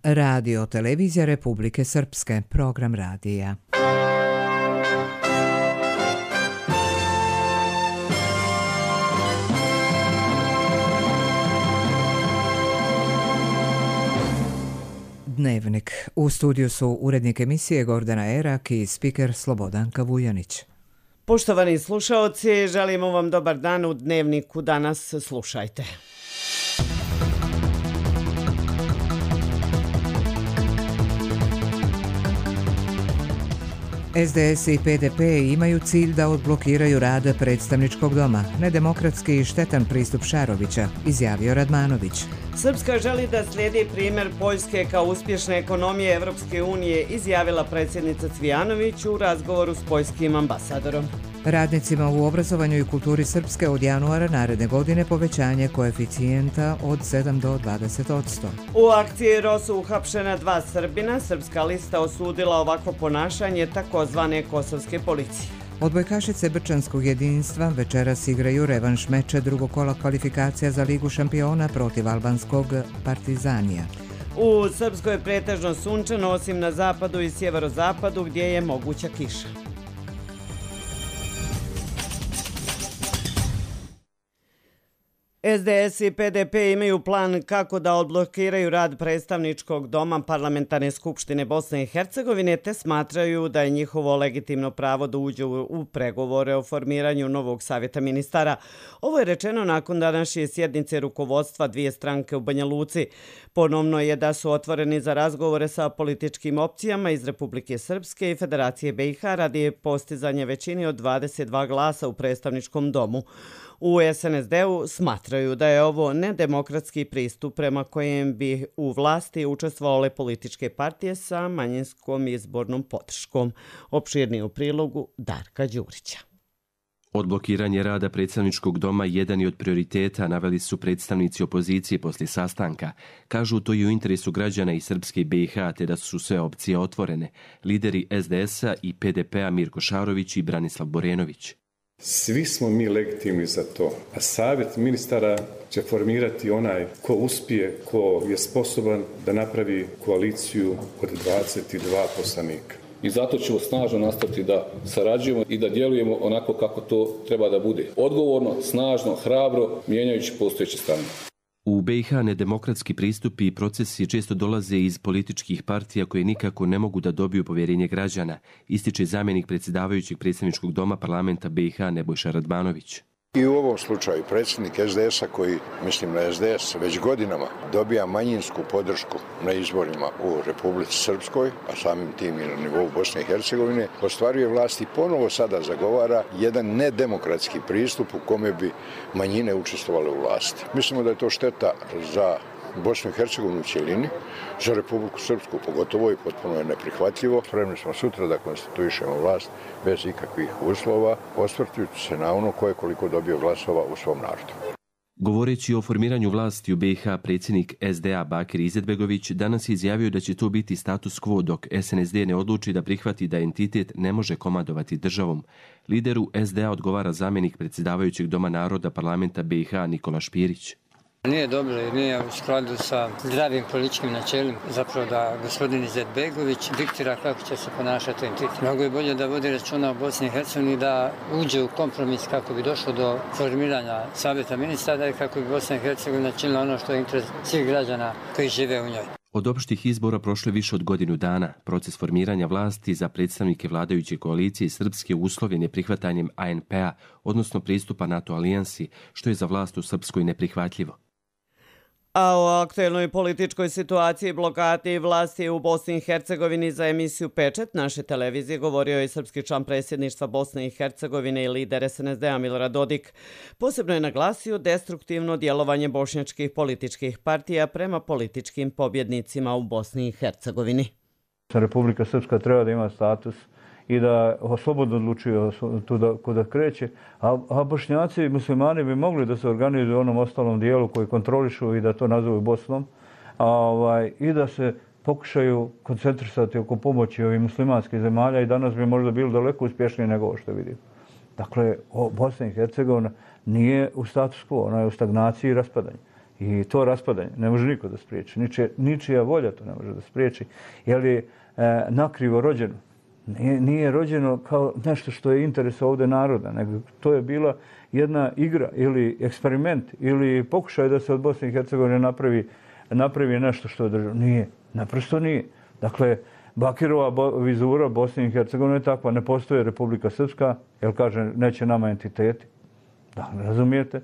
Radio Televizija Republike Srpske, program radija. Dnevnik. U studiju su urednik emisije Gordana Erak i spiker Slobodanka Vujanić. Poštovani slušaoci, želimo vam dobar dan u Dnevniku. Danas slušajte. SDS i PDP imaju cilj da odblokiraju rad predstavničkog doma. Nedemokratski i štetan pristup Šarovića, izjavio Radmanović. Srpska želi da slijedi primjer Poljske kao uspješne ekonomije Evropske unije, izjavila predsjednica Cvijanović u razgovoru s poljskim ambasadorom. Radnicima u obrazovanju i kulturi Srpske od januara naredne godine povećanje koeficijenta od 7 do 20%. U akciji Rosu uhapšena 2 Srbina. Srpska lista osudila ovakvo ponašanje takozvane kosovske policije. Odbojkašice Brčanskog jedinstva večeras igraju revanš meča drugog kola kvalifikacija za Ligu šampiona protiv albanskog Partizanija. U Srpskoj je pretežno sunčano, osim na zapadu i sjeverozapadu gdje je moguća kiša. SDS i PDP imaju plan kako da odblokiraju rad predstavničkog doma Parlamentarne skupštine Bosne i Hercegovine, te smatraju da je njihovo legitimno pravo da uđu u pregovore o formiranju novog savjeta ministara. Ovo je rečeno nakon današnje sjednice rukovodstva dvije stranke u Banja Luci. Ponovno je da su otvoreni za razgovore sa političkim opcijama iz Republike Srpske i Federacije BiH radi postizanja većine od 22 glasa u predstavničkom domu. U SNSD-u smatraju da je ovo nedemokratski pristup prema kojem bi u vlasti učestvovale političke partije sa manjinskom izbornom podrškom. Opširnije u prilogu Darka Đurića. Odblokiranje rada predstavničkog doma jedan je od prioriteta, naveli su predstavnici opozicije poslije sastanka. Kažu to i u interesu građana i Srpske i BiH, te da su sve opcije otvorene. Lideri SDS-a i PDP-a Mirko Šarović i Branislav Borenović. Svi smo mi legitimni za to, a savjet ministara će formirati onaj ko uspije, ko je sposoban da napravi koaliciju od 22 poslanika. I zato ćemo snažno nastaviti da sarađujemo i da djelujemo onako kako to treba da bude. Odgovorno, snažno, hrabro, mijenjajući postojeće stanje. U BiH nedemokratski pristupi i procesi često dolaze iz političkih partija koje nikako ne mogu da dobiju povjerenje građana, ističe zamjenik predsjedavajućeg predstavničkog doma parlamenta BiH Nebojša Radmanović. I u ovom slučaju predsjednik SDS-a koji, mislim na SDS, već godinama dobija manjinsku podršku na izborima u Republici Srpskoj, a samim tim i na nivou Bosne i Hercegovine, ostvaruje vlast i ponovo sada zagovara jedan nedemokratski pristup u kome bi manjine učestvovale u vlasti. Mislimo da je to šteta za Bosnu i Hercegovinu u cjelini, za Republiku Srpsku pogotovo i potpuno je neprihvatljivo. Spremni smo sutra da konstituišemo vlast bez ikakvih uslova, osvrtujući se na ono ko je koliko dobio glasova u svom narodu. Govoreći o formiranju vlasti u BiH, predsjednik SDA Bakir Izetbegović danas je izjavio da će to biti status quo dok SNSD ne odluči da prihvati da entitet ne može komandovati državom. Lideru SDA odgovara zamjenik predsjedavajućeg doma naroda parlamenta BiH Nikola Špirić. Nije dobro i nije u skladu sa zdravim političkim načelima. Zapravo da gospodin Izetbegović diktira kako će se ponašati entitet. Mnogo je bolje da vodi računa o Bosni i Hercegovini, da uđe u kompromis kako bi došlo do formiranja savjeta ministara i kako bi Bosna i Hercegovina činila ono što je interes svih građana koji žive u njoj. Od opštih izbora prošlo je više od godinu dana. Proces formiranja vlasti za predstavnike vladajuće koalicije Srpske uslovljen je prihvatanjem ANP-a, odnosno pristupa NATO alijansi, što je za vlast u Srpskoj neprihvatljivo. A o aktuelnoj političkoj situaciji, blokadi vlasti u Bosni i Hercegovini za emisiju Pečet naše televizije govorio je srpski član predsjedništva Bosne i Hercegovine i lider SNSD-a Milorad Dodik. Posebno je naglasio destruktivno djelovanje bošnjačkih političkih partija prema političkim pobjednicima u Bosni i Hercegovini. Republika Srpska treba da ima status i da slobodno odlučuje kuda kreće, a Bošnjaci i muslimani bi mogli da se organizuju u onom ostalom dijelu koji kontrolišu i da to nazovu Bosnom, i da se pokušaju koncentrisati oko pomoći ovih muslimanskih zemalja i danas bi možda bilo daleko uspješnije nego ovo što vidim. Dakle, Bosna i Hercegovina nije u status quo, ona je u stagnaciji i raspadanju. I to raspadanje ne može niko da spriječi. Ničija volja to ne može da spriječi. Jer je nakrivo rođeno. Nije rođeno kao nešto što je interes ovdje naroda, nego to je bila jedna igra ili eksperiment ili pokušaj da se od Bosne i Hercegovine napravi nešto što je država. Nije, naprosto nije. Dakle, Bakirova vizura Bosne i Hercegovine je takva, ne postoji Republika Srpska, jer kaže neće nama entiteti. Da, razumijete?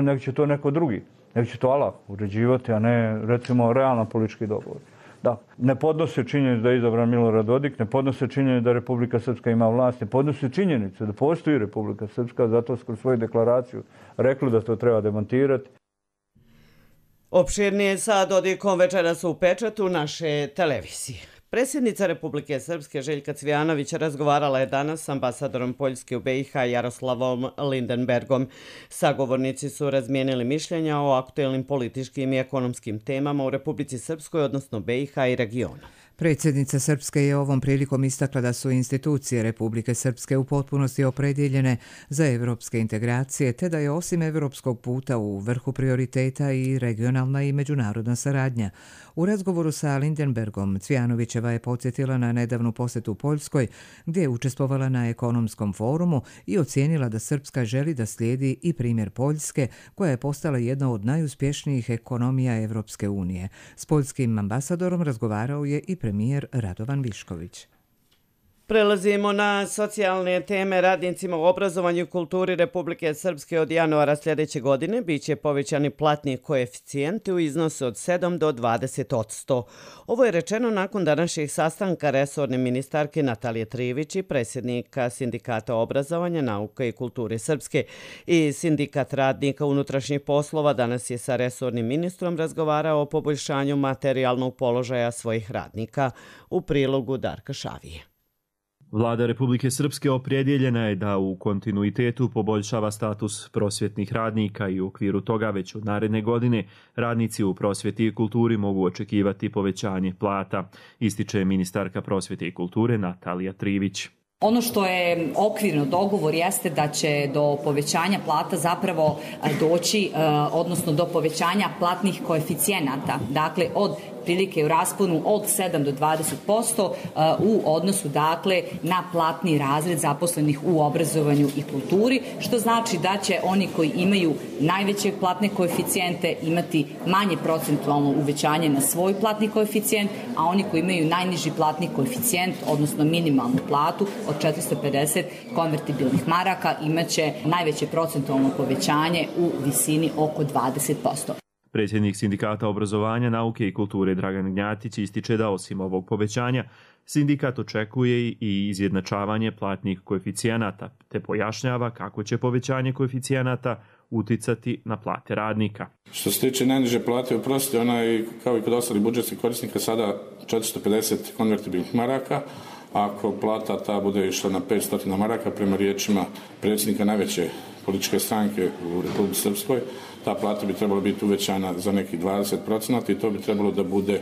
Nego će to neko drugi, nego će to Allah uređivati, a ne recimo realno politički dogovor. Da, ne podnose činjenicu da je izabran Milorad Dodik, ne podnose činjenicu da Republika Srpska ima vlast, ne podnose činjenicu da postoji Republika Srpska, zato su kroz svoju deklaraciju rekli da to treba demontirati. Opširnije sa Dodikom večeras u Pečatu naše televizije. Predsjednica Republike Srpske Željka Cvijanović razgovarala je danas s ambasadorom Poljske u BiH Jaroslavom Lindenbergom. Sagovornici su razmijenili mišljenja o aktuelnim političkim i ekonomskim temama u Republici Srpskoj, odnosno BiH i regionu. Predsjednica Srpske je ovom prilikom istakla da su institucije Republike Srpske u potpunosti opredjeljene za evropske integracije, te da je osim evropskog puta u vrhu prioriteta i regionalna i međunarodna saradnja. U razgovoru sa Lindenbergom Cvijanovićeva je podsjetila na nedavnu posjetu Poljskoj, gdje je učestvovala na ekonomskom forumu i ocijenila da Srpska želi da slijedi i primjer Poljske, koja je postala jedna od najuspješnijih ekonomija Evropske unije. S poljskim ambasadorom razgovarao je i premijer Radovan Višković. Prelazimo na socijalne teme. Radnicima u obrazovanju i kulturi Republike Srpske od januara sljedeće godine biće povećani platni koeficijenti u iznosu od 7 do 20%. Ovo je rečeno nakon današnjeg sastanka resorne ministarke Natalije Trivić i predsjednika Sindikata obrazovanja, nauke i kulture Srpske. I Sindikat radnika unutrašnjih poslova danas je sa resornim ministrom razgovarao o poboljšanju materijalnog položaja svojih radnika. U prilogu Darka Šavije. Vlada Republike Srpske opredjeljena je da u kontinuitetu poboljšava status prosvjetnih radnika i u okviru toga već od naredne godine radnici u prosvjeti i kulturi mogu očekivati povećanje plata, ističe ministarka prosvjete i kulture Natalija Trivić. Ono što je okvirno dogovor jeste da će do povećanja plata zapravo doći, odnosno do povećanja platnih koeficijenata, dakle od prilike u rasponu od 7 do 20% u odnosu dakle na platni razred zaposlenih u obrazovanju i kulturi, što znači da će oni koji imaju najveće platne koeficijente imati manje procentualno uvećanje na svoj platni koeficijent, a oni koji imaju najniži platni koeficijent, odnosno minimalnu platu od 450 konvertibilnih maraka, imaće najveće procentualno povećanje u visini oko 20%. Predsjednik Sindikata obrazovanja, nauke i kulture Dragan Gnjatić ističe da osim ovog povećanja, sindikat očekuje i izjednačavanje platnih koeficijenata, te pojašnjava kako će povećanje koeficijenata uticati na plate radnika. Što se tiče najniže plate u prosvjeti, ona je kao i kod ostalih budžetskih korisnika sada 450 konvertibilnih maraka. Ako plata ta bude išla na 500 maraka, prema riječima predsjednika najveće političke stranke u Republici Srpskoj, ta plata bi trebala biti uvećana za nekih 20% i to bi trebalo da bude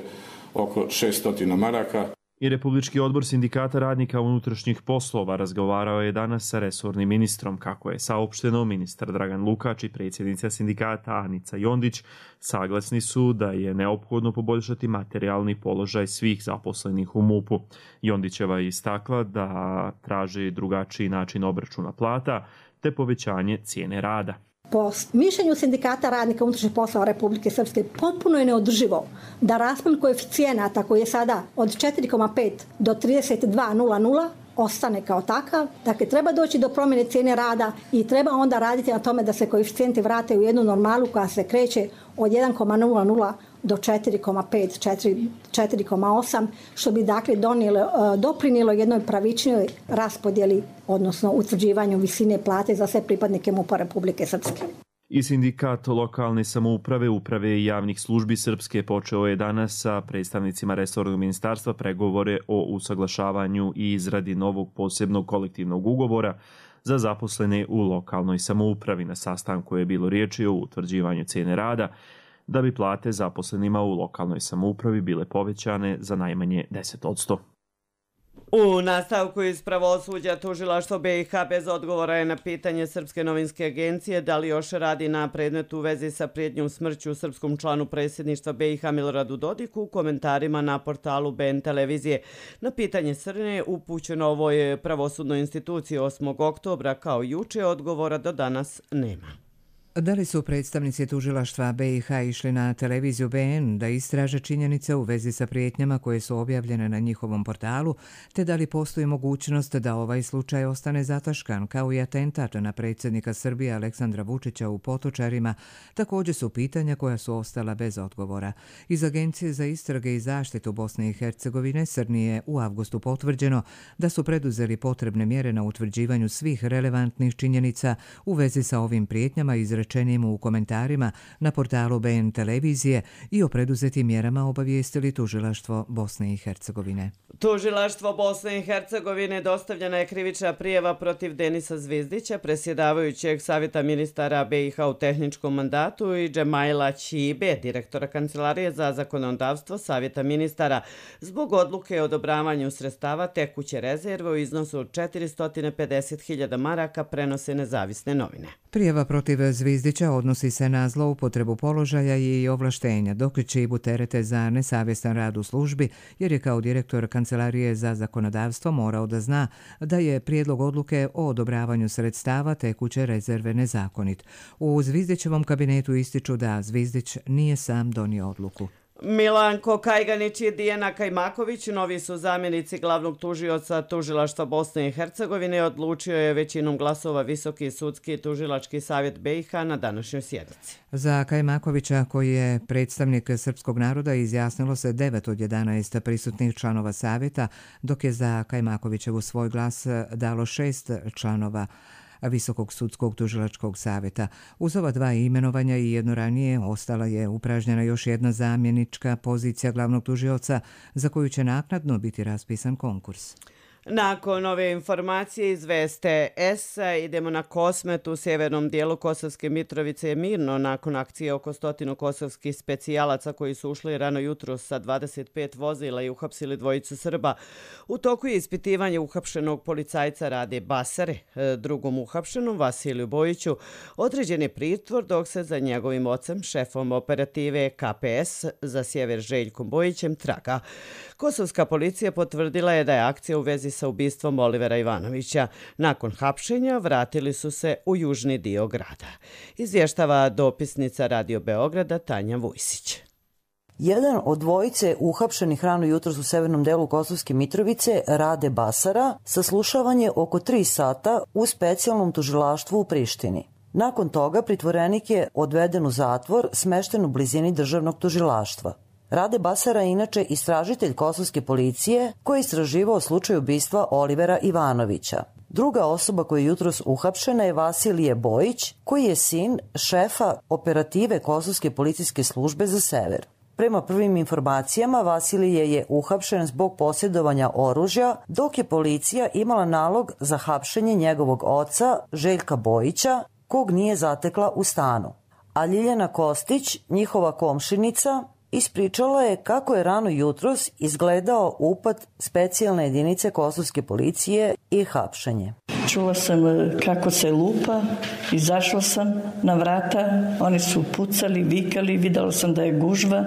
oko 600 maraka. I Republički odbor Sindikata radnika unutrašnjih poslova razgovarao je danas sa resornim ministrom, kako je saopšteno. Ministar Dragan Lukač i predsjednica sindikata Anica Jondić saglasni su da je neophodno poboljšati materijalni položaj svih zaposlenih u MUP-u. Jondićeva je istakla da traži drugačiji način obračuna plata te povećanje cijene rada. Po mišljenju Sindikata radnika unutrašnjih poslova Republike Srpske potpuno je neodrživo da raspon koeficijenata koji je sada od 4,5 do 32,00 ostane kao takav. Dakle, treba doći do promjene cijene rada i treba onda raditi na tome da se koeficijenti vrate u jednu normalu koja se kreće od 1,00 do 4,5, 4,8, što bi dakle doprinijelo jednoj pravičnijoj raspodjeli, odnosno utvrđivanju visine plate za sve pripadnike MUP-a Republike Srpske. I Sindikat lokalne samouprave, uprave i javnih službi Srpske počeo je danas sa predstavnicima resornog ministarstva pregovore o usaglašavanju i izradi novog posebnog kolektivnog ugovora za zaposlene u lokalnoj samoupravi. Na sastanku je bilo riječi o utvrđivanju cijene rada, da bi plate zaposlenima u lokalnoj samoupravi bile povećane za najmanje 10%. U nastavku iz pravosuđa tužilaštvo BiH bez odgovora je na pitanje Srpske novinske agencije da li još radi na predmetu u vezi sa prijetnjom smrću srpskom članu predsjedništva BiH Miloradu Dodiku u komentarima na portalu BN televizije. Na pitanje Srne upućeno ovoj pravosudnoj instituciji 8. oktobra kao juče, odgovora do danas nema. Da li su predstavnici tužilaštva BiH išli na televiziju BN da istraže činjenice u vezi sa prijetnjama koje su objavljene na njihovom portalu, te da li postoji mogućnost da ovaj slučaj ostane zataškan, kao i atentat na predsjednika Srbije Aleksandra Vučića u Potočarima, također su pitanja koja su ostala bez odgovora. Iz Agencije za istrage i zaštitu Bosne i Hercegovine Srni je u avgustu potvrđeno da su preduzeli potrebne mjere na utvrđivanju svih relevantnih činjenica u vezi sa ovim prijetnjama izrečenim u komentarima na portalu BN televizije i o preduzetim mjerama obavijestili tužilaštvo Bosne i Hercegovine. Tužilaštvo Bosne i Hercegovine dostavljena je krivična prijava protiv Denisa Zvizdića, predsjedavajućeg Savjeta ministara BiH u tehničkom mandatu, i Džemaila Ćibe, direktora Kancelarije za zakonodavstvo Savjeta ministara, zbog odluke o odobravanju sredstava tekuće rezerve u iznosu od 450.000 maraka, prenose Nezavisne novine. Prijava protiv Zvizdića odnosi se na zloupotrebu položaja i ovlaštenja, dok Ćibu terete za nesavjestan rad u službi, jer je kao direktor Kancelarije za zakonodavstvo morao da zna da je prijedlog odluke o odobravanju sredstava tekuće rezerve nezakonit. U Zvizdićevom kabinetu ističu da Zvizdić nije sam donio odluku. Milanko Kajganić i Dijana Kajmaković, novi su zamjenici glavnog tužioca tužilaštva Bosne i Hercegovine, odlučio je većinom glasova Visoki sudski tužilački savjet BiH na današnjoj sjednici. Za Kajmakovića, koji je predstavnik srpskog naroda, izjasnilo se 9 od 11 prisutnih članova savjeta, dok je za Kajmakovićevu svoj glas dalo 6 članova Visokog sudskog tužilačkog savjeta. Uz ova dva imenovanja i jedno ranije ostala je upražnjena još jedna zamjenička pozicija glavnog tužioca za koju će naknadno biti raspisan konkurs. Nakon ove informacije iz Veste S idemo na Kosmet. U sjevernom dijelu Kosovske Mitrovice je mirno nakon akcije oko 100 kosovskih specijalaca koji su ušli rano jutro sa 25 vozila i uhapsili dvojicu Srba. U toku je ispitivanje uhapšenog policajca Rade Basare. Drugom uhapšenom, Vasiliju Bojiću, određen je pritvor, dok se za njegovim ocem, šefom operative KPS za sjever Željkom Bojićem, traga. Kosovska policija potvrdila je da je akcija u vezi sa ubistvom Olivera Ivanovića. Nakon hapšenja vratili su se u južni dio grada. Izvještava dopisnica Radio Beograda Tanja Vujsić. Jedan od dvojice uhapšenih rano jutros u severnom delu Kosovske Mitrovice, Rade Basara, saslušavan je oko 3 sata u specijalnom tužilaštvu u Prištini. Nakon toga pritvorenik je odveden u zatvor smešten u blizini državnog tužilaštva. Rade Basara je inače istražitelj kosovske policije koji je istraživao slučaj ubistva Olivera Ivanovića. Druga osoba koja je jutros uhapšena je Vasilije Bojić, koji je sin šefa operative Kosovske policijske službe za sever. Prema prvim informacijama, Vasilije je uhapšen zbog posjedovanja oružja, dok je policija imala nalog za hapšenje njegovog oca, Željka Bojića, kog nije zatekla u stanu. A Ljiljana Kostić, njihova komšinica, ispričala je kako je rano jutros izgledao upad specijalne jedinice kosovske policije i hapšenje. Čula sam kako se lupa, izašla sam na vrata, oni su pucali, vikali, videla sam da je gužva,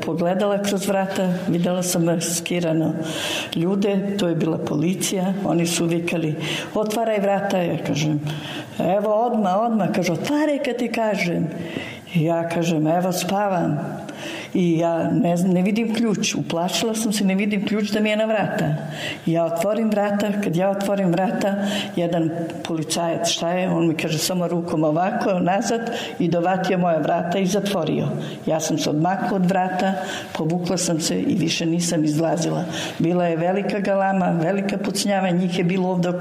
pogledala kroz vrata, videla sam maskirano ljude, to je bila policija, oni su vikali, otvaraj vrata, ja kažem, evo odmah, kaže, otvaraj kad ti kažem. Ja kažem, evo spavam. I ja ne vidim ključ, uplašila sam se, ne vidim ključ da mi je na vrata. Ja otvorim vrata, kad ja otvorim vrata, jedan policajac, šta je? On mi kaže samo rukom ovako, nazad i dovatio moja vrata i zatvorio. Ja sam se odmakla od vrata, povukla sam se i više nisam izlazila. Bila je velika galama, velika pucnjava, njih je bilo ovdje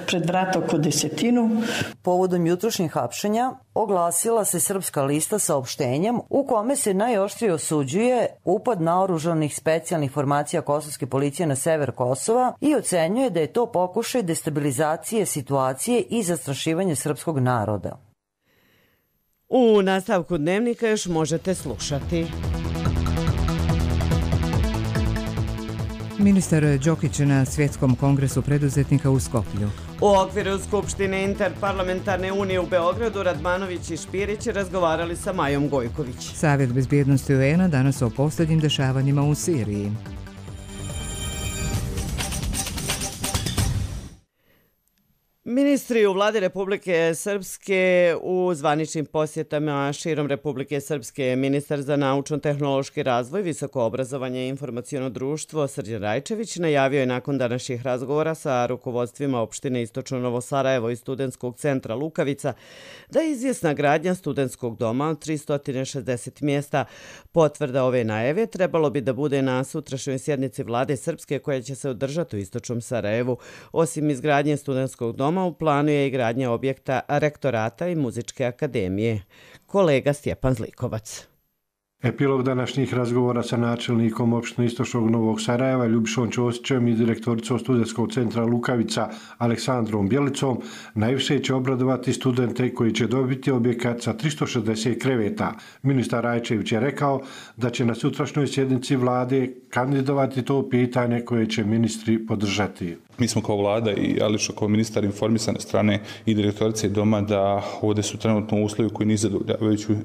pred vrata oko 10. Povodom jutrošnjih hapšenja oglasila se Srpska lista saopštenjem u kome se najoštrije osuđuje upad naoružanih specijalnih formacija kosovske policije na sever Kosova i ocenjuje da je to pokušaj destabilizacije situacije i zastrašivanje srpskog naroda. U nastavku dnevnika još možete slušati. Ministar Đokić na Svjetskom kongresu preduzetnika u Skoplju. U okviru Skupštine Interparlamentarne unije u Beogradu Radmanović i Špirić razgovarali sa Majom Gojković. Savjet bezbjednosti UN-a danas o posljednjim dešavanjima u Siriji. Ministri u vladi Republike Srpske u zvaničnim posjetama širom Republike Srpske, ministar za naučno-tehnološki razvoj, visoko obrazovanje i informaciono društvo Srđan Rajčević najavio je nakon današnjih razgovora sa rukovodstvima opštine Istočno Novo Sarajevo i studentskog centra Lukavica da je izvjesna gradnja studentskog doma od 360 mjesta. Potvrda ove najave trebalo bi da bude na sutrašnjoj sjednici vlade Srpske koja će se održati u Istočnom Sarajevu. Osim izgradnje studentskog doma, u planu je i gradnja objekta rektorata i muzičke akademije. Kolega Stjepan Zlikovac. Epilog današnjih razgovora sa načelnikom opštine Istočnog Novog Sarajeva Ljubišom Ćosićem i direktoricom studentskog centra Lukavica Aleksandrom Bjelicom najviše će obradovati studente koji će dobiti objekat sa 360 kreveta. Ministar Rajčević je rekao da će na sutrašnjoj sjednici vlade kandidovati to pitanje koje će ministri podržati. Mi smo kao vlada i Ališa kao ministar informisane strane i direktorice doma da ovdje su trenutno uslovi koji nisu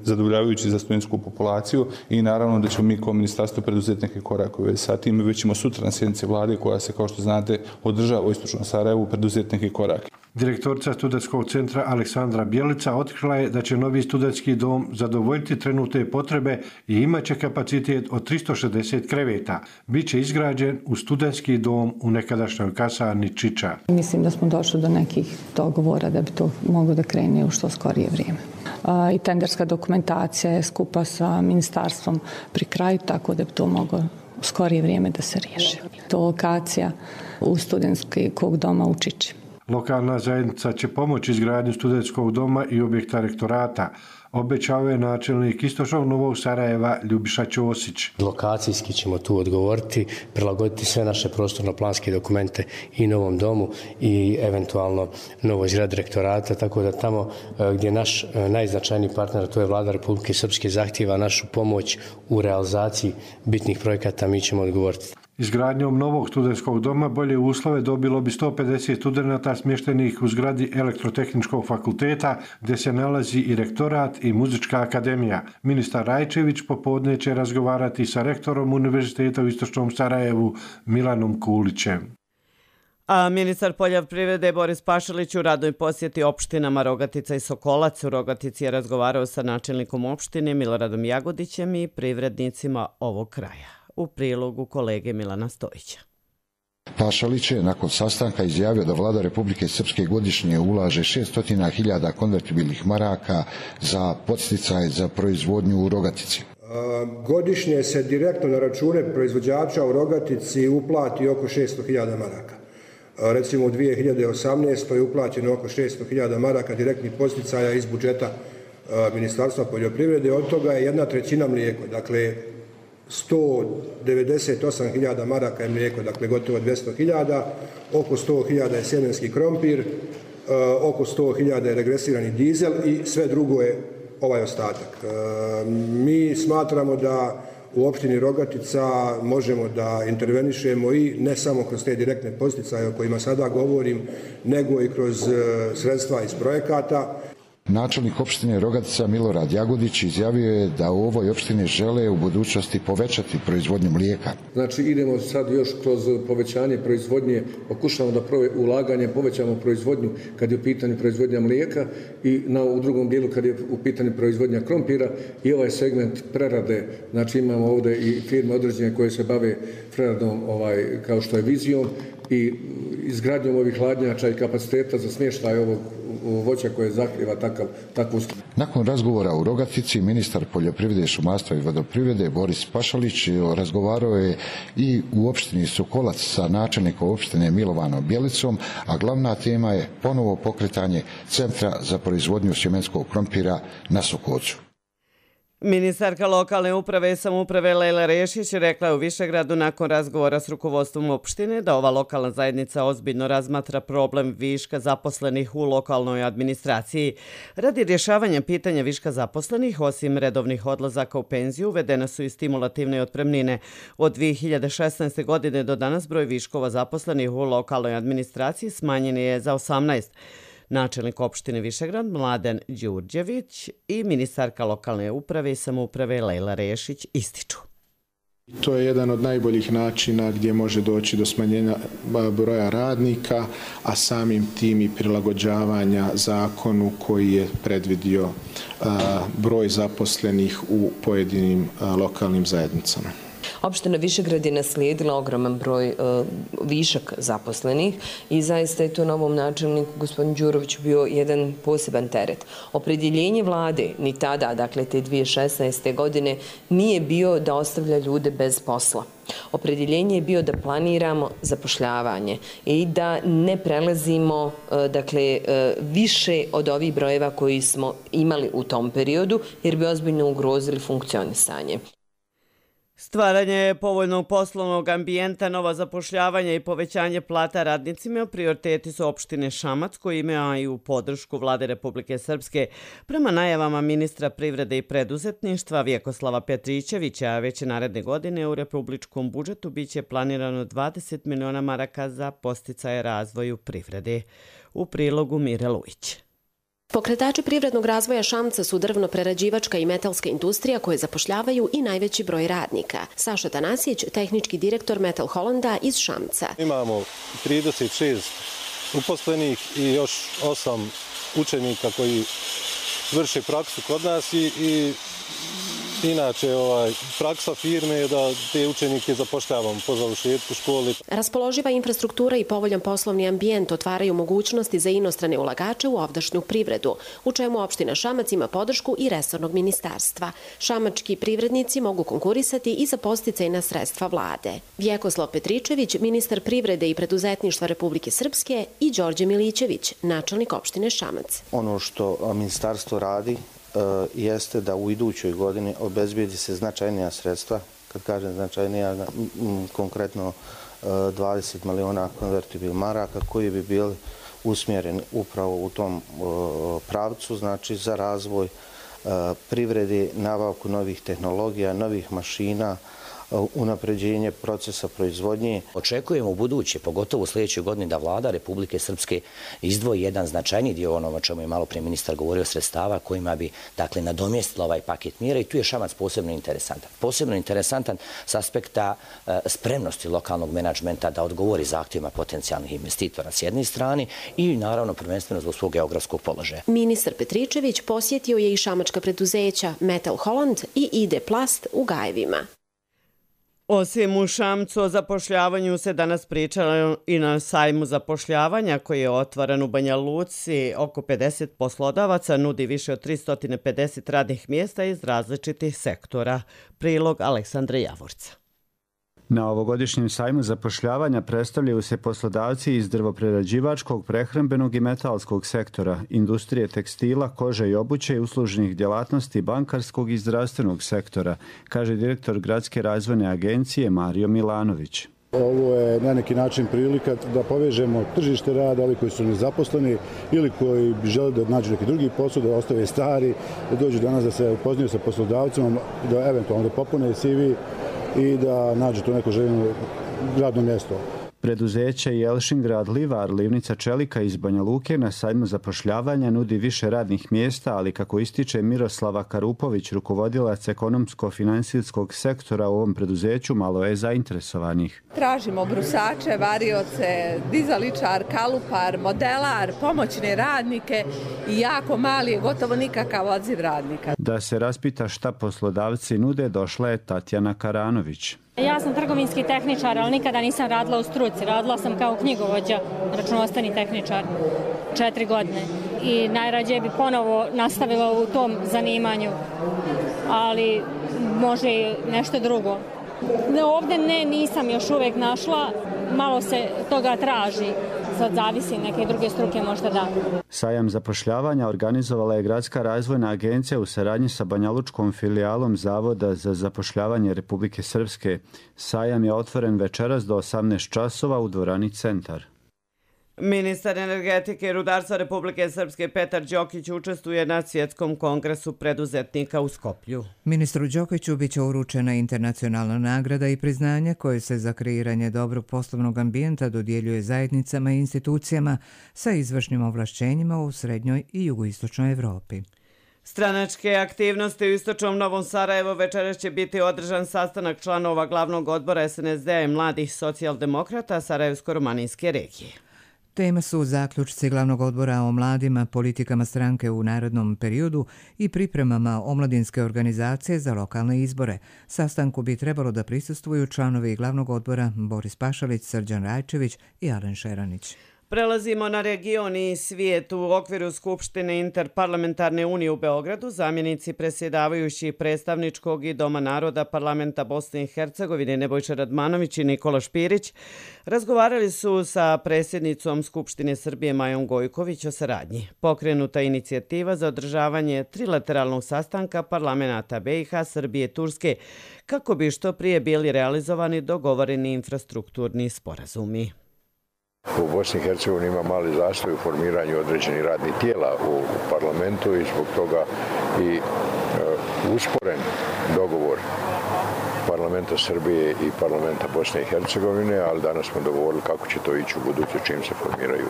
zadovoljavajući za studentsku populaciju i naravno da ćemo mi kao ministarstvo preduzeti neke korake sa tim. Već ćemo sutra na sjednici vlade koja se, kao što znate, održava u Istočnom Sarajevu, preduzeti neke korake. Direktorica studentskog centra Aleksandra Bjelica otkrila je da će novi studentski dom zadovoljiti trenutne potrebe i imaće kapacitet od 360 kreveta. Biće izgrađen u studentski dom u nekadašnjoj kasarni Čiča. Mislim da smo došli do nekih dogovora da bi to moglo da krene u što skorije vrijeme. I tenderska dokumentacija je skupa sa ministarstvom pri kraju, tako da bi to moglo u skorije vrijeme da se riješi. To je lokacija u studentskog doma u Čiči. Lokalna zajednica će pomoći izgradnju studentskog doma i objekta rektorata, obećao je načelnik Istočnog Novog Sarajeva Ljubiša Ćosić. Lokacijski ćemo tu odgovoriti, prilagoditi sve naše prostorno-planske dokumente i novom domu i eventualno novoj zgradi rektorata, tako da tamo gdje naš najznačajniji partner, to je vlada Republike Srpske, zahtijeva našu pomoć u realizaciji bitnih projekata, mi ćemo odgovoriti. Izgradnjom novog studentskog doma bolje uslove dobilo bi 150 studenata smještenih u zgradi Elektrotehničkog fakulteta gdje se nalazi i rektorat i muzička akademija. Ministar Rajčević popodne će razgovarati sa rektorom Univerziteta u Istočnom Sarajevu Milanom Kulićem. A ministar poljoprivrede Boris Pašalić u radnoj posjeti opštinama Rogatica i Sokolac u Rogatici je razgovarao sa načelnikom opštine Miloradom Jagodićem i privrednicima ovog kraja. U prilogu kolege Milana Stojića. Pašalić je nakon sastanka izjavio da vlada Republike Srpske godišnje ulaže 600.000 konvertibilnih maraka za podsticaje za proizvodnju u Rogatici. Godišnje se direktno na račune proizvođača u Rogatici uplati oko 600.000 maraka. Recimo u 2018. je uplaćeno oko 600.000 maraka direktnih podsticaja iz budžeta Ministarstva poljoprivrede, od toga je 1/3 mlijeko, dakle 198.000 maraka je mlijeko, dakle gotovo 200.000, oko 100.000 je sjemenski krompir, oko 100.000 je regresirani dizel i sve drugo je ovaj ostatak. Mi smatramo da u opštini Rogatica možemo da intervenišemo i ne samo kroz te direktne podsticaje o kojima sada govorim, nego i kroz sredstva iz projekata. Načelnik opštine Rogatica Milorad Jagodić izjavio je da u ovoj opštini žele u budućnosti povećati proizvodnju mlijeka. Znači idemo sad još kroz povećanje proizvodnje, pokušamo da ulaganje povećamo proizvodnju kad je u pitanju proizvodnja mlijeka i u drugom dijelu kad je u pitanju proizvodnja krompira i ovaj segment prerade. Znači imamo ovdje i firme određene koje se bave preradom kao što je Vizijom i izgradnjom ovih hladnjača i kapaciteta za smještaj ovog voća koje zahtjeva takvu uslugu. Nakon razgovora u Rogatici, ministar poljoprivrede, šumarstva i vodoprivrede Boris Pašalić razgovarao je i u opštini Sokolac sa načelnikom opštine Milovanom Bjelicom, a glavna tema je ponovo pokretanje centra za proizvodnju sjemenskog krompira na Sokolcu. Ministarka lokalne uprave i samouprave Lejla Rešić rekla je u Višegradu nakon razgovora s rukovodstvom opštine da ova lokalna zajednica ozbiljno razmatra problem viška zaposlenih u lokalnoj administraciji. Radi rješavanja pitanja viška zaposlenih, osim redovnih odlazaka u penziju, uvedene su i stimulativne otpremnine. Od 2016. godine do danas broj viškova zaposlenih u lokalnoj administraciji smanjen je za 18. Načelnik opštine Višegrad Mladen Đurđević i ministarka lokalne uprave i samouprave Lejla Rešić ističu. To je jedan od najboljih načina gdje može doći do smanjenja broja radnika, a samim tim i prilagođavanja zakonu koji je predvidio broj zaposlenih u pojedinim lokalnim zajednicama. Opština Višegrad je naslijedila ogroman broj višak zaposlenih i zaista je to novom načelniku gospodinu Đuroviću bio jedan poseban teret. Opredjeljenje vlade ni tada, dakle te 2016. godine, nije bio da ostavlja ljude bez posla. Opredjeljenje je bio da planiramo zapošljavanje i da ne prelazimo više od ovih brojeva koji smo imali u tom periodu jer bi ozbiljno ugrozili funkcionisanje. Stvaranje povoljnog poslovnog ambijenta, nova zapošljavanja i povećanje plata radnicima prioriteti su opštine Šamac koji imaju podršku Vlade Republike Srpske. Prema najavama ministra privrede i preduzetništva Vjekoslava Petričevića, već naredne godine u republičkom budžetu biće planirano 20 miliona maraka za podsticaje razvoju privrede. U prilogu Mire Lujić. Pokretači privrednog razvoja Šamca su drvno-prerađivačka i metalska industrija koje zapošljavaju i najveći broj radnika. Saša Tanasić, tehnički direktor Metal Hollanda iz Šamca. Imamo 36 uposlenih i još 8 učenika koji vrše praksu kod nas i inače praksa firme je da te učenike zapošljavamo po završetku škole. Raspoloživa infrastruktura i povoljan poslovni ambijent otvaraju mogućnosti za inostrane ulagače u ovdašnju privredu, u čemu opština Šamac ima podršku i resornog ministarstva. Šamački privrednici mogu konkurisati i za podsticajna sredstva vlade. Vjekoslav Petričević, ministar privrede i preduzetništva Republike Srpske i Đorđe Milićević, načelnik opštine Šamac. Ono što ministarstvo radi jeste da u idućoj godini obezbijedi se značajnija sredstva, kad kažem značajnija, konkretno 20 miliona konvertibil maraka koji bi bili usmjereni upravo u tom pravcu, znači za razvoj privrede, nabavku novih tehnologija, novih mašina, unapređenje procesa proizvodnje. Očekujemo u buduće, pogotovo u sljedećoj godini, da vlada Republike Srpske izdvoji jedan značajni dio onoga o čemu je malo prije ministar govorio, sredstava kojima bi nadomjestila ovaj paket mjera i tu je Šamac posebno interesantan. Posebno interesantan s aspekta spremnosti lokalnog menadžmenta da odgovori zahtjevima potencijalnih investitora s jedne strane i naravno prvenstveno zbog svog geografskog položaja. Ministar Petričević posjetio je i šamačka preduzeća Metal Holland i ID Plast u Gajevima. Osim u Šamcu o zapošljavanju se danas pričalo i na sajmu zapošljavanja koji je otvoren u Banja Luci. Oko 50 poslodavaca nudi više od 350 radnih mjesta iz različitih sektora. Prilog Aleksandra Javorca. Na ovogodišnjem sajmu zapošljavanja predstavljaju se poslodavci iz drvoprerađivačkog, prehrambenog i metalskog sektora, industrije tekstila, kože i obuće i uslužnih djelatnosti, bankarskog i zdravstvenog sektora, kaže direktor Gradske razvojne agencije Mario Milanović. Ovo je na neki način prilika da povežemo tržište rada, ovi koji su nezaposleni ili koji bi želi da nađu neki drugi posao, da ostave stari, da dođu danas da se upoznaju sa poslodavcima, da eventualno da popune CV i da nađu to neko željeno radno mjesto. Preduzeće Jelšingrad Livar, Livnica Čelika iz Banja Luke na sajmu zapošljavanja nudi više radnih mjesta, ali kako ističe Miroslava Karupović, rukovodilac ekonomsko-finansijskog sektora u ovom preduzeću, malo je zainteresovanih. Tražimo brusače, varioce, dizaličar, kalupar, modelar, pomoćne radnike i jako mali, gotovo nikakav odziv radnika. Da se raspita šta poslodavci nude, došla je Tatjana Karanović. Ja sam trgovinski tehničar, ali nikada nisam radila u struci. Radila sam kao knjigovođa, računovodstveni tehničar, 4 godine. I najrađe bi ponovo nastavila u tom zanimanju, ali može i nešto drugo. Ovdje nisam još uvijek našla, malo se toga traži. sad zavisi, neke druge struke možda da. Sajam zapošljavanja organizovala je Gradska razvojna agencija u saradnji sa banjalučkom filijalom Zavoda za zapošljavanje Republike Srpske. Sajam je otvoren večeras do 18 časova u dvorani Centar. Ministar energetike i rudarstva Republike Srpske Petar Đokić učestvuje na Svjetskom kongresu preduzetnika u Skoplju. Ministru Đokiću biće uručena internacionalna nagrada i priznanje koje se za kreiranje dobrog poslovnog ambijenta dodjeljuje zajednicama i institucijama sa izvršnim ovlašćenjima u srednjoj i jugoistočnoj Evropi. Stranačke aktivnosti u istočnom Novom Sarajevu večeras će biti održan sastanak članova glavnog odbora SNSD-a i mladih socijaldemokrata Sarajevsko-romanijske regije. Tema su zaključci glavnog odbora o mladima, politikama stranke u narednom periodu i pripremama omladinske organizacije za lokalne izbore. Sastanku bi trebalo da prisustvuju članovi glavnog odbora Boris Pašalić, Srđan Rajčević i Alen Šeranić. Prelazimo na region i svijet. U okviru Skupštine Interparlamentarne unije u Beogradu zamjenici predsjedavajući predstavničkog i Doma naroda Parlamenta Bosne i Hercegovine Nebojša Radmanović i Nikola Špirić razgovarali su sa predsjednicom Skupštine Srbije Majom Gojković o saradnji. Pokrenuta inicijativa za održavanje trilateralnog sastanka parlamenata BiH, Srbije i Turske kako bi što prije bili realizovani dogovoreni infrastrukturni sporazumi. U Bosni i Hercegovini ima mali zastoj u formiranju određenih radnih tijela u parlamentu i zbog toga i usporen dogovor parlamenta Srbije i parlamenta Bosne i Hercegovine, ali danas smo dogovorili kako će to ići u buduće čim se formiraju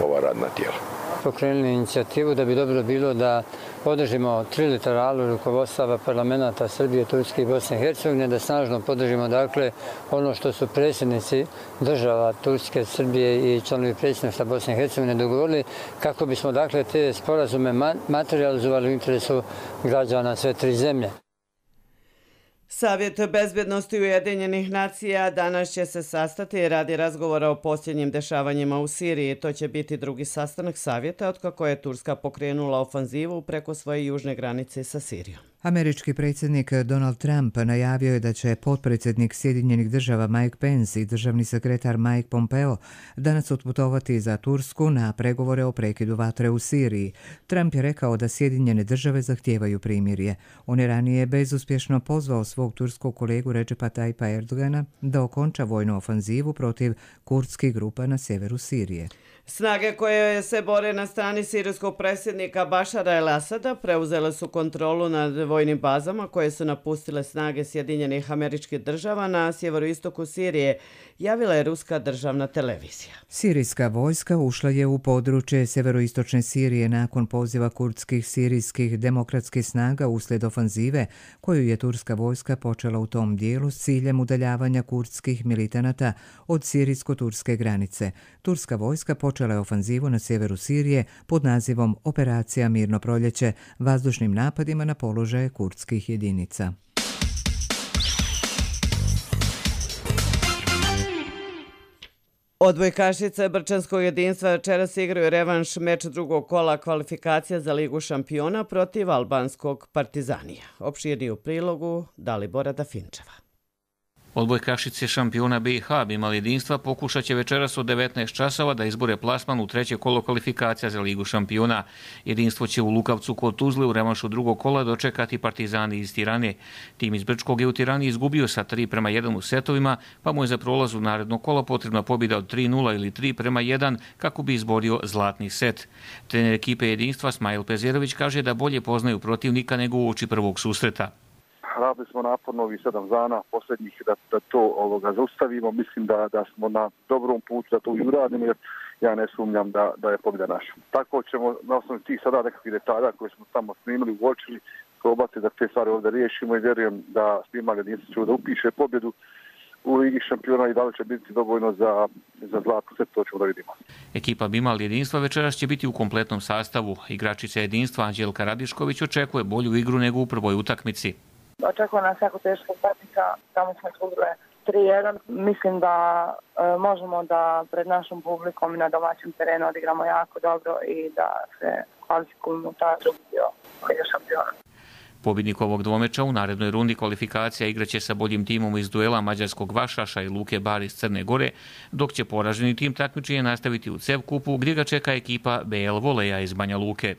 ova radna tijela. Pokrenuli inicijativu da bi dobro bilo da podržimo trilateralu rukovodstava parlamenta Srbije, Turske i Bosne i Hercegovine, da snažno podržimo dakle ono što su predsjednici država Turske, Srbije i članovi predsjedništva Bosne i Hercegovine dogovorili kako bismo dakle te sporazume materializovali u interesu građana sve tri zemlje. Savjet bezbjednosti Ujedinjenih nacija danas će se sastati radi razgovora o posljednjim dešavanjima u Siriji. To će biti drugi sastanak savjeta otkako je Turska pokrenula ofanzivu preko svoje južne granice sa Sirijom. Američki predsjednik Donald Trump najavio je da će potpredsjednik Sjedinjenih država Mike Pence i državni sekretar Mike Pompeo danas otputovati za Tursku na pregovore o prekidu vatre u Siriji. Trump je rekao da Sjedinjene države zahtijevaju primirje. On je ranije bezuspješno pozvao svog turskog kolegu Recepa Tayyipa Erdogana da okonča vojnu ofanzivu protiv kurdskih grupa na sjeveru Sirije. Snage koje se bore na strani sirijskog predsjednika Bašara el-Asada preuzele su kontrolu nad vojnim bazama koje su napustile snage Sjedinjenih Američkih Država na sjeveroistoku Sirije, javila je ruska državna televizija. Sirijska vojska ušla je u područje sjeveroistočne Sirije nakon poziva kurdskih sirijskih demokratskih snaga uslijed ofanzive koju je turska vojska počela u tom dijelu s ciljem udaljavanja kurdskih militanata od sirijsko-turske granice. Turska vojska počela je ofanzivu na sjeveru Sirije pod nazivom Operacija Mirno proljeće vazdušnim napadima na položaje kurdskih jedinica. Odbojkašice Brčanskog jedinstva večeras igraju revanš meč drugog kola kvalifikacija za Ligu šampiona protiv albanskog Partizanija. Opširniji u prilogu Dalibora Dafinčeva. Odbojkašice šampiona BiH Bimal jedinstva pokušat će večeras od 19 časova da izbore plasman u treće kolo kvalifikacija za Ligu šampiona. Jedinstvo će u Lukavcu kod Tuzle u revanšu drugog kola dočekati Partizani iz Tirane. Tim iz Brčkog je u Tirani izgubio sa 3:1 u setovima, pa mu je za prolaz u naredno kolo potrebna pobjeda od 3:0 ili 3:1 kako bi izborio zlatni set. Trener ekipe jedinstva Smajl Pezerović kaže da bolje poznaju protivnika nego uoči prvog susreta. Radili smo naporno ovih 7 dana posljednjih da to zaustavimo. Mislim da smo na dobrom putu da to i uradimo, jer ja ne sumnjam da je pobjeda naša. Tako ćemo na osnovu tih sada nekakvih detalja koje smo tamo snimili, uočili, probati da te stvari ovdje riješimo i vjerujem da Bimal jedinstvo će da upiše pobjedu u Ligi šampiona i da li će biti dovoljno za zlatni set, to ćemo da vidimo. Ekipa Bimal jedinstva večeras će biti u kompletnom sastavu. Igračica jedinstva Anđelka Radišković očekuje bolju igru nego u prvoj utakmici. Očekuje nas jako teška utakmica, tamo smo izgubile 3:1. Mislim da možemo da pred našom publikom i na domaćem terenu odigramo jako dobro i da se kvalifikujemo u taj drugi dio Lige šampiona. Pobjednik ovog dvomeča u narednoj rundi kvalifikacija igraće sa boljim timom iz duela mađarskog Vašaša i Luke Bar iz Crne Gore, dok će poraženi tim takmičenje nastaviti u CEV kupu gdje ga čeka ekipa BL Voleja iz Banja Luke.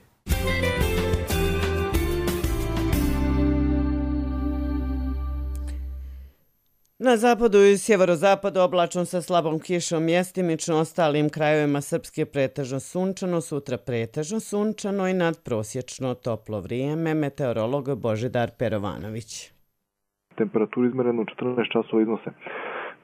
Na zapadu i sjeverozapadu oblačno sa slabom kišom, mjestimično ostalim krajevima Srpske pretežno sunčano, sutra pretežno sunčano i nadprosječno toplo vrijeme. Meteorolog Božidar Perovanović. Temperaturu izmerenu 14 časova iznose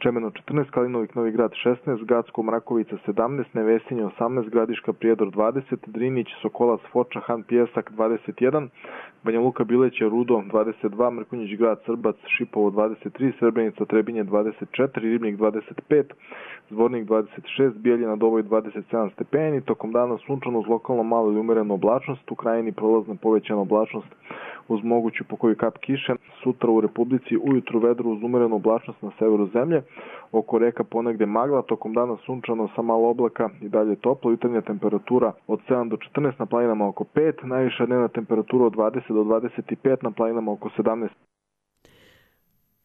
Čemeno 14, Kalinovik, Novi Grad 16, Gacko, Mrakovica 17, Nevesinje 18, Gradiška, Prijedor 20, Drinić, Sokolac, Foča, Han, Pjesak 21, Banja Luka, Bileće, Rudo 22, Mrkonjić, Grad, Srbac, Šipovo 23, Srebrenica, Trebinje 24, Ribnik 25, Zvornik 26, Bijeljina, Dovoj 27 stepeni, tokom dana sunčano uz lokalno malo ili umerenu oblačnost, u krajini prolazna povećana oblačnost uz moguću pokoju kap kiše. Sutra u Republici ujutru vedro uz umerenu oblačnost na severu zemlje, oko reka ponegde magla, tokom dana sunčano sa malo oblaka i dalje toplo, jutarnja temperatura od 7 do 14, na planinama oko 5, najviša dnevna temperatura od 20 do 25, na planinama oko 17.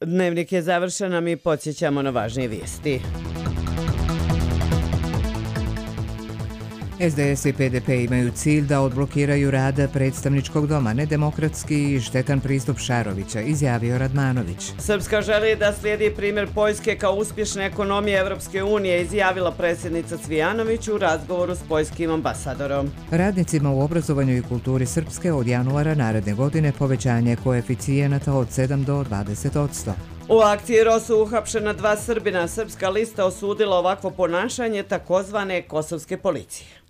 Dnevnik je završen, a mi podsjećamo na važnije vijesti. SDS i PDP imaju cilj da odblokiraju rad predstavničkog doma, nedemokratski i štetan pristup Šarovića, izjavio Radmanović. Srpska želi da slijedi primjer Poljske kao uspješne ekonomije Evropske unije, izjavila predsjednica Cvijanović u razgovoru s poljskim ambasadorom. Radnicima u obrazovanju i kulturi Srpske od januara naredne godine povećanje koeficijenata od 7 do 20%. U akciji Rosu uhapšena 2 Srbina. Srpska lista osudila ovakvo ponašanje takozvane kosovske policije.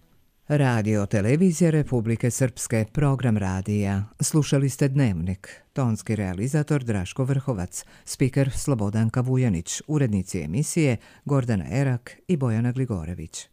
Radio televizija Republike Srpske, program radija. Slušali ste Dnevnik. Tonski realizator Draško Vrhovac, spiker Slobodanka Vujanić, urednici emisije Gordana Erak i Bojana Gligorević.